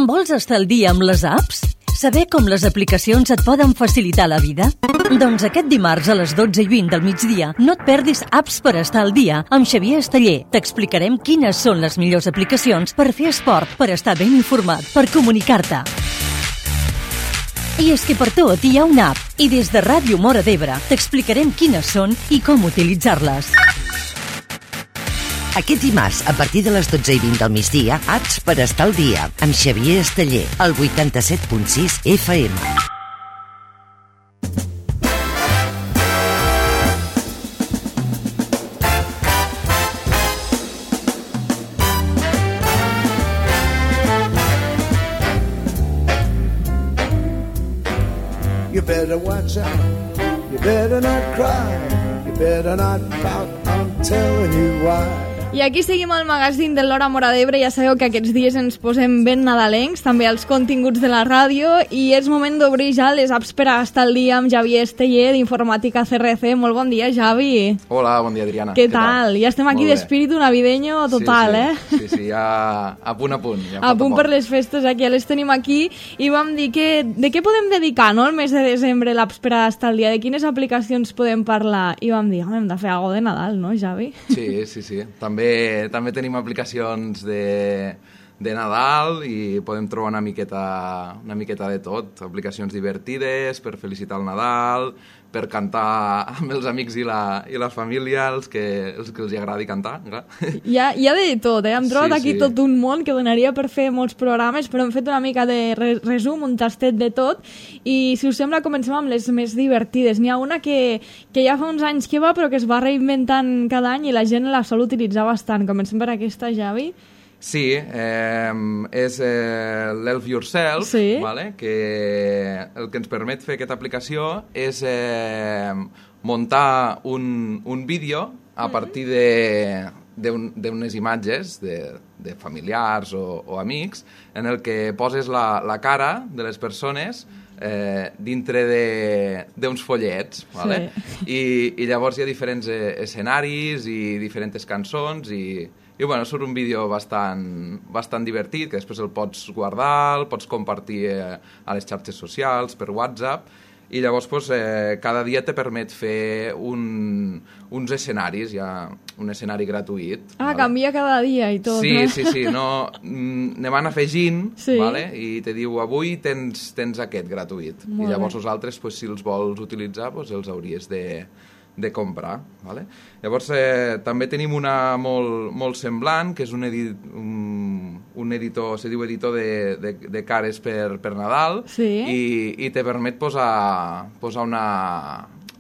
Vols estar al dia amb les apps? Saber com les aplicacions et poden facilitar la vida? Doncs aquest dimarts a les 12:20 del migdia no et perdis Apps per estar al dia amb Xavier Esteller. T'explicarem quines són les millors aplicacions per fer esport, per estar ben informat, per comunicar-te. I és que per tot hi ha una app i des de Ràdio Móra d'Ebre t'explicarem quines són i com utilitzar-les. Aquest dimarts, a partir de les 12:20 del migdia, Apps per estar al dia, amb Xavier Esteller, al 87.6 FM. You better watch out, you better not cry, you better not pout, I'm telling you why. I aquí seguim al magazín de l'Hora Móra d'Ebre. Ja sabeu que aquests dies ens posem ben nadalencs, també als continguts de la ràdio, i és moment d'obrir ja les apps per a estar al dia amb Xavier Esteller d'Informàtica CRC. Molt bon dia, Xavi. Hola, bon dia, Adriana. Què tal? Ja estem aquí d'espíritu navideño total, Sí, ja a punt. Ja a punt per les festes, aquí ja les tenim aquí, i vam dir de què podem dedicar, no?, el mes de desembre, l'apps per a estar al dia, de quines aplicacions podem parlar, i vam dir, hem de fer alguna cosa de Nadal, no, Xavi? Sí. També tenim aplicacions de Nadal i podem trobar una miqueta de tot. Aplicacions divertides per felicitar el Nadal, per cantar amb els amics i la família, els que els agradi cantar. Hi ha de tot, Hem trobat aquí tot un món que donaria per fer molts programes, però hem fet una mica de resum, un tastet de tot, i si us sembla comencem amb les més divertides. N'hi ha una que ja fa uns anys que va, però que es va reinventant cada any i la gent la sol utilitzar bastant. Comencem per aquesta, Xavi. Sí, és l'Help Yourself, vale? Que el que ens permet fer aquesta aplicació és muntar un vídeo a partir d'unes imatges de familiars o amics en el que poses la cara de les persones dintre d'uns follets, vale? I llavors hi ha diferents escenaris i diferents cançons i bueno, surt un vídeo bastant divertit, que després el pots guardar, el pots compartir a les xarxes socials, per WhatsApp, i llavors cada dia te permet fer uns escenaris, hi ha un escenari gratuït. Vale? Canvia cada dia i tot, Sí, no, ne van afegint, vale? I te diu, avui tens aquest gratuït. I llavors els altres, si els vols utilitzar, els hauries de comprar. Vale? Llavors també tenim una molt semblant, que és un editor, se diu editor de cares per Nadal, i te permet posar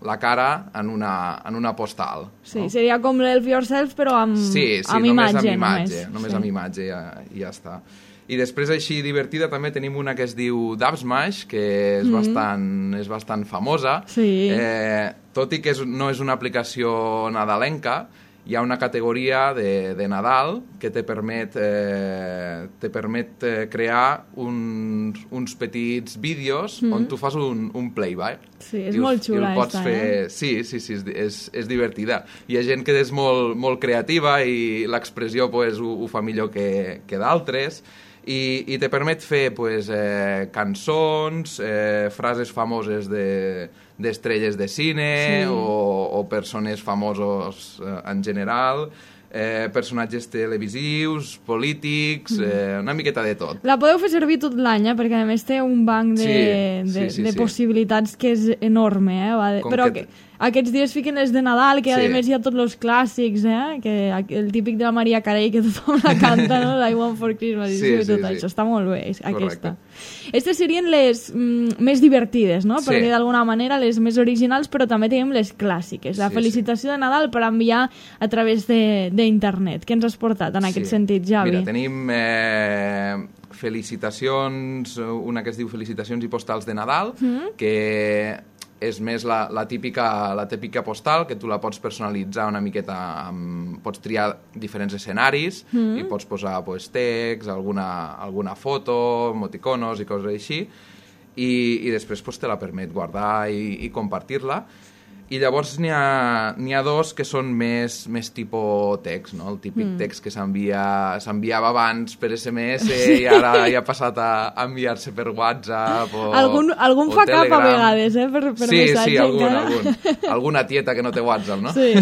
la cara en una postal. Sí, no? Seria com l'Help Yourself, però amb imatge. Només amb imatge i ja està. I després, així divertida, també tenim una que es diu Dubsmash, que és bastant famosa. Tot i que no és una aplicació nadalenca, hi ha una categoria de Nadal que te permet crear uns petits vídeos on tu fas un playback. Sí, és molt xula aquesta, Sí, és divertida. Hi ha gent que és molt creativa i l'expressió ho fa millor que d'altres. I te permet fer cançons, frases famoses d'estrelles de cine o persones famosos en general, personatges televisius, polítics, una miqueta de tot. La podeu fer servir tot l'any, perquè a més té un banc de possibilitats que és enorme. Però aquests dies fiquen les de Nadal, que a més hi ha tots els clàssics, que el típic de la Maria Carey, que tothom la canta, no? I Want for Christmas, i tot això. Està molt bé, aquesta. Aquestes serien les més divertides, no? Perquè d'alguna manera les més originals, però també tenim les clàssiques. La felicitació de Nadal per enviar a través d'internet. Què ens has portat en aquest sentit, Xavi? Mira, tenim felicitacions, una que es diu Felicitacions i postals de Nadal, que és més la típica postal, que tu la pots personalitzar una miqueta, pots triar diferents escenaris i pots posar text, alguna foto, emoticonos i coses així, i després te la permet guardar i compartir-la. I llavors n'hi ha dos que són més tipus text, no? El típic text que s'enviava abans per SMS i ara ja ha passat a enviar-se per WhatsApp o algun fa Telegram. cap a vegades, per missatge. Sí, algun. Alguna tieta que no té WhatsApp, no? Sí.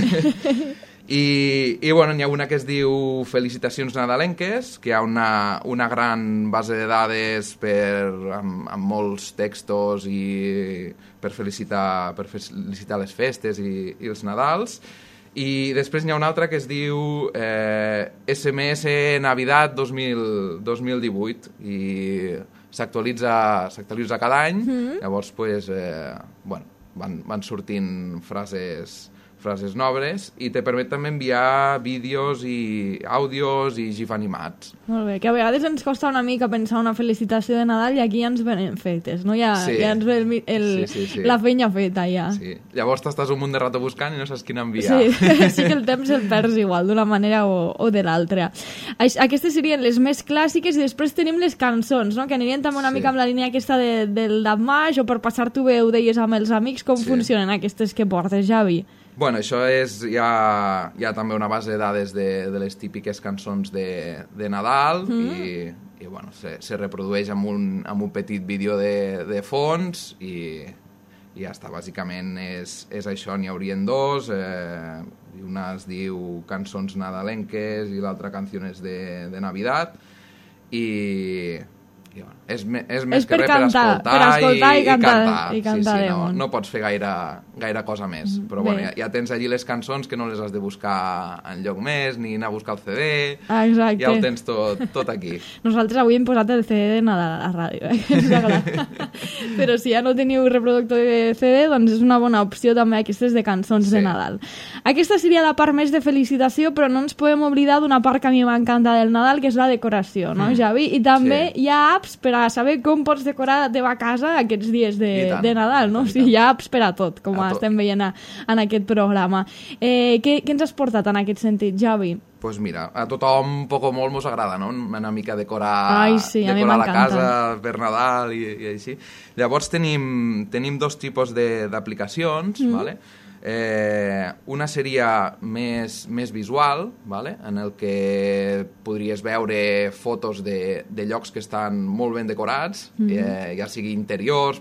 I bueno, n'hi ha una que es diu Felicitacions nadalenques, que hi ha una gran base de dades amb molts textos i per felicitar les festes i els Nadals. I després n'hi ha una altra que es diu SMS Navidad 2018 i s'actualitza cada any. Llavors, van sortint frases noves i te permet també enviar vídeos i àudios i gif animats. Molt bé, que a vegades ens costa una mica pensar una felicitació de Nadal i aquí ja ens venen fetes, no? Ja ens ve la feina feta, ja. Sí. Llavors t'estàs un munt de rato buscant i no saps quina enviar. Sí que el temps el perds igual, d'una manera o de l'altra. Aquestes serien les més clàssiques i després tenim les cançons, no? Que anirien també una mica amb la línia aquesta del Damage o per passar-t'ho bé, ho deies amb els amics, com funcionen aquestes que portes, Javi? Bueno, això és ja també una base de dades de les típiques cançons de Nadal i bueno, se reprodueix amb un petit vídeo de fons i ja està, bàsicament és això, n'hi haurien dos, una es diu Cançons nadalenques i l'altra Canciones de Navidad i bueno, és més que res per escoltar i cantar. Sí, no pots fer gaire cosa més. Però bueno, ja tens allí les cançons que no les has de buscar enlloc més, ni anar a buscar el CD. Exacte. Ja ho tens tot aquí. Nosaltres avui hem posat el CD de Nadal a la ràdio, que ens agrada. Però si ja no teniu reproductor de CD, doncs és una bona opció també aquestes de cançons de Nadal. Aquesta seria la part més de felicitació, però no ens podem oblidar d'una part que a mi m'encanta del Nadal, que és la decoració, no, Javi? I també hi ha apps per a saber com pots decorar la teva casa aquests dies de Nadal, no? O sigui, hi ha apps per a tot, com estem veient en aquest programa. Què ens has portat en aquest sentit, Javi? Doncs mira, a tothom poc o molt mos agrada, no? Una mica decorar la casa per Nadal i així. Llavors tenim dos tipus d'aplicacions, ¿vale? Una seria més visual, ¿vale? En el que podries veure fotos de llocs que estan molt ben decorats, ja sigui interiors,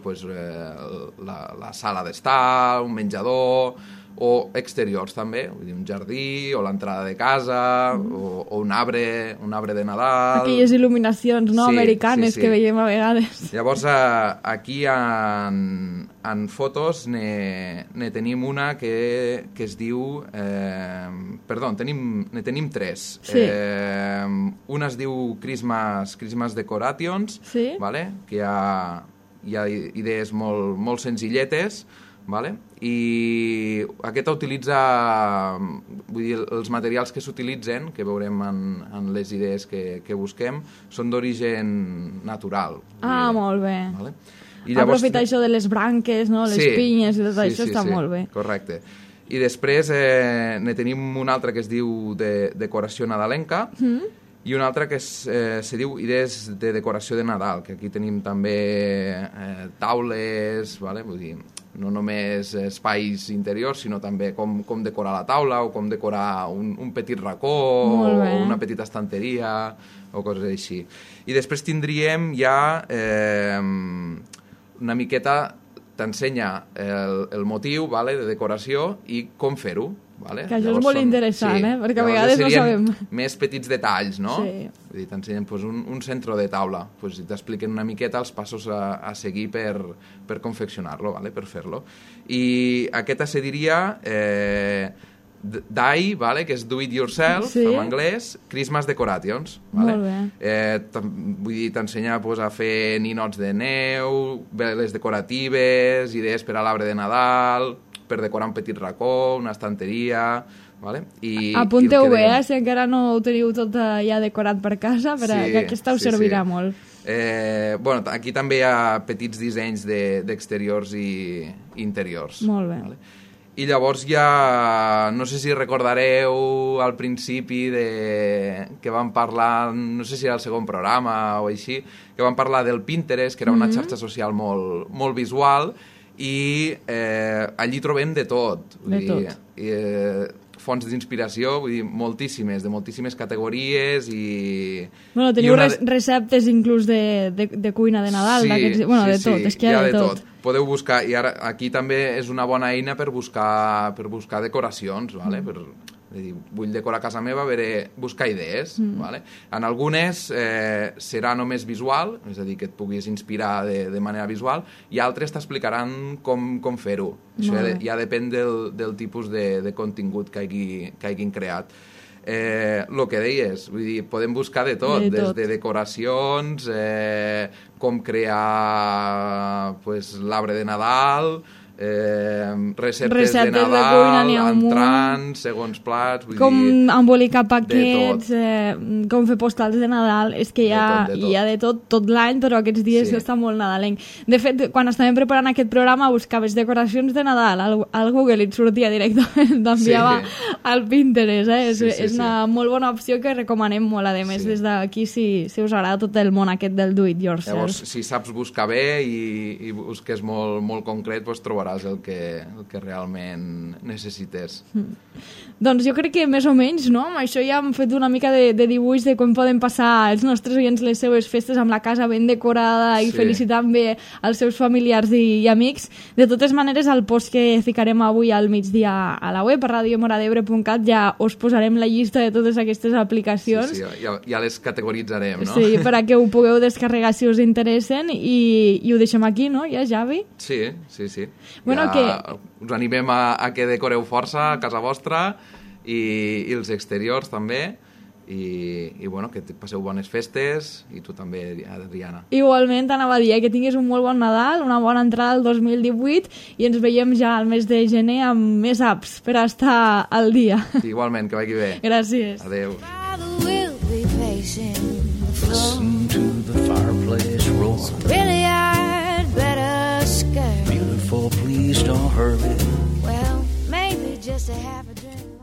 la sala d'estar, un menjador, o exteriors també, vull dir, un jardí o l'entrada de casa o un arbre de Nadal. Aquelles il·luminacions americanes que veiem a vegades. Llavors aquí en fotos ne tenim una que es diu ne tenim tres. Una es diu Christmas Decorations, vale? Que hi ha idees molt senzilletes, vale? I aquesta utilitza, vull dir, els materials que s'utilitzen, que veurem en les idees que busquem, són d'origen natural. Molt bé. Vale? Aprofitar això de les branques, no? Les pinyes i tot això està molt bé. Correcte. I després ne tenim una altra que es diu Decoració nadalenca, i una altra que se diu Idees de decoració de Nadal, que aquí tenim també taules, vale? Vull dir, no només espais interiors, sinó també com decorar la taula o com decorar un petit racó o una petita estanteria o coses així. I després tindríem ja una miqueta, t'ensenya el motiu, vale, de decoració i com fer-ho. Vale? Que això és molt interessant, perquè a vegades no sabem. Més petits detalls, no? Sí. Vull dir, t'ensenyen un centre de taula, i t'expliquen una miqueta els passos a seguir per confeccionar-lo, vale? Per fer-lo. I aquesta se diria DIY, vale? Que és do it yourself, en anglès, Christmas Decorations. Vale? Molt bé. Vull dir, t'ensenya a fer ninots de neu, veles decoratives, idees per a l'arbre de Nadal, per decorar un petit racó, una estanteria, vale? Apunteu bé, si encara no ho teniu tot ja decorat per casa, perquè aquesta us servirà molt. Bueno, aquí també hi ha petits dissenys d'exteriors i interiors. Molt bé. Vale? I llavors ja, no sé si recordareu al principi que vam parlar, no sé si era el segon programa o així, que vam parlar del Pinterest, que era una xarxa social molt visual, i allí trobem de tot. Fonts d'inspiració, vull dir, moltíssimes, de moltíssimes categories i... Bueno, teniu receptes inclús de cuina de Nadal, sí, de tot, és que hi ha de tot. Podeu buscar, i ara aquí també és una bona eina per buscar decoracions, vale? Vull decorar casa meva, buscar idees. Vale? En algunes serà només visual, és a dir, que et puguis inspirar de manera visual, i altres t'explicaran com fer-ho. Això ja depèn del tipus de contingut que hagin creat. El que deies, vull dir, podem buscar de tot, des de decoracions, com crear l'arbre de Nadal, receptes de Nadal, entrants, segons plats, com embolicar paquets, com fer postals de Nadal, és que hi ha de tot l'any, però aquests dies està molt nadalenc. De fet, quan estàvem preparant aquest programa buscaves decoracions de Nadal al Google i et sortia directament, t'enviava al Pinterest, és una molt bona opció que recomanem molt, a més des d'aquí si us agrada tot el món aquest del do it yourself. Llavors, si saps buscar bé i busques molt concret, doncs trobaràs el que realment necessites. Doncs jo crec que més o menys, no? Amb això ja hem fet una mica de dibuix de com poden passar els nostres oients les seves festes amb la casa ben decorada i felicitant bé els seus familiars i amics. De totes maneres, al post que ficarem avui al migdia a la web, a radiomoradebre.cat, ja us posarem la llista de totes aquestes aplicacions. Ja les categoritzarem, no? Sí, per a que ho pugueu descarregar si us interessen i ho deixem aquí, no? Ja, Javi? Sí. Bueno, us animem a que decoreu força a casa vostra i els exteriors també i bueno, que passeu bones festes i tu també, Adriana. Igualment, anava a dir que tinguis un molt bon Nadal, una bona entrada al 2018 i ens veiem ja al mes de gener amb més apps per estar al dia. Igualment, que vagi bé. Gràcies. Adéu. Listen to the fireplace roar. Really, I'd better skirt. Beautiful, please don't hurry. Well, maybe just a half a drink.